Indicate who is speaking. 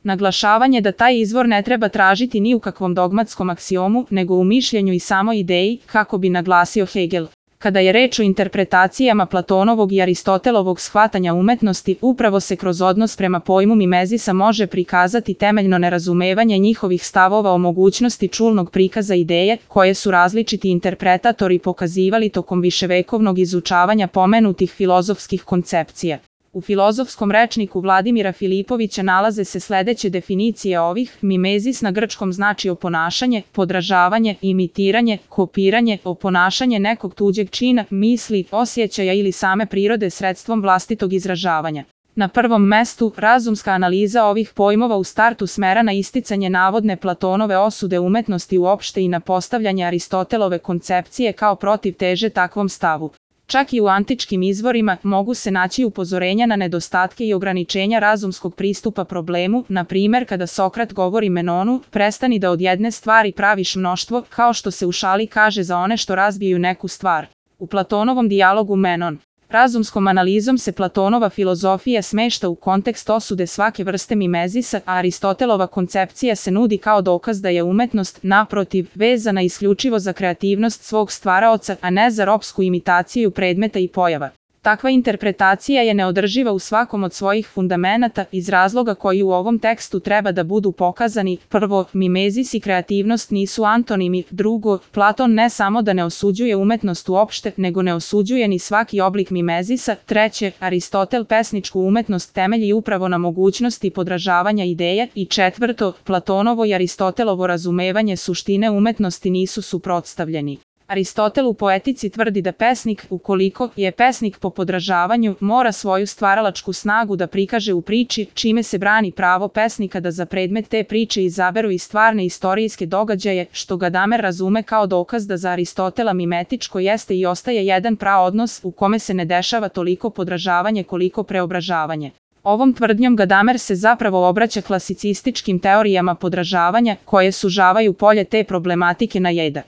Speaker 1: Naglašavanje da taj izvor ne treba tražiti ni u kakvom dogmatskom aksiomu, nego u mišljenju i samoj ideji, kako bi naglasio Hegel. Kada je reč o interpretacijama Platonovog i Aristotelovog shvatanja umetnosti, upravo se kroz odnos prema pojmu mimezisa može prikazati temeljno nerazumevanje njihovih stavova o mogućnosti čulnog prikaza ideje, koje su različiti interpretatori pokazivali tokom viševekovnog izučavanja pomenutih filozofskih koncepcija. U filozofskom rečniku Vladimira Filipovića nalaze se sledeće definicije ovih: mimezis na grčkom znači oponašanje, podražavanje, imitiranje, kopiranje, oponašanje nekog tuđeg čina, misli, osjećaja ili same prirode sredstvom vlastitog izražavanja. Na prvom mestu, razumska analiza ovih pojmova u startu smera na isticanje navodne Platonove osude umetnosti uopšte i na postavljanje Aristotelove koncepcije kao protivteže takvom stavu. Čak i u antičkim izvorima mogu se naći upozorenja na nedostatke i ograničenja razumskog pristupa problemu, na primer kada Sokrat govori Menonu: prestani da od jedne stvari praviš mnoštvo, kao što se u šali kaže za one što razbijaju neku stvar. U Platonovom dijalogu Menon. Razumskom analizom se Platonova filozofija smešta u kontekst osude svake vrste mimezisa, a Aristotelova koncepcija se nudi kao dokaz da je umetnost, naprotiv, vezana isključivo za kreativnost svog stvaraoca, a ne za ropsku imitaciju predmeta i pojava. Takva interpretacija je neodrživa u svakom od svojih fundamenata iz razloga koji u ovom tekstu treba da budu pokazani. Prvo, mimezis i kreativnost nisu antonimi. Drugo, Platon ne samo da ne osuđuje umetnost uopšte, nego ne osuđuje ni svaki oblik mimezisa. Treće, Aristotel pesničku umetnost temelji upravo na mogućnosti podražavanja ideje. I četvrto, Platonovo i Aristotelovo razumevanje suštine umetnosti nisu suprotstavljeni. Aristotel u Poetici tvrdi da pesnik, ukoliko je pesnik po podražavanju, mora svoju stvaralačku snagu da prikaže u priči, čime se brani pravo pesnika da za predmet te priče izaberu i stvarne istorijske događaje, što Gadamer razume kao dokaz da za Aristotela mimetičko jeste i ostaje jedan praodnos u kome se ne dešava toliko podražavanje koliko preobražavanje. Ovom tvrdnjom Gadamer se zapravo obraća klasicističkim teorijama podražavanja, koje sužavaju polje te problematike na jedan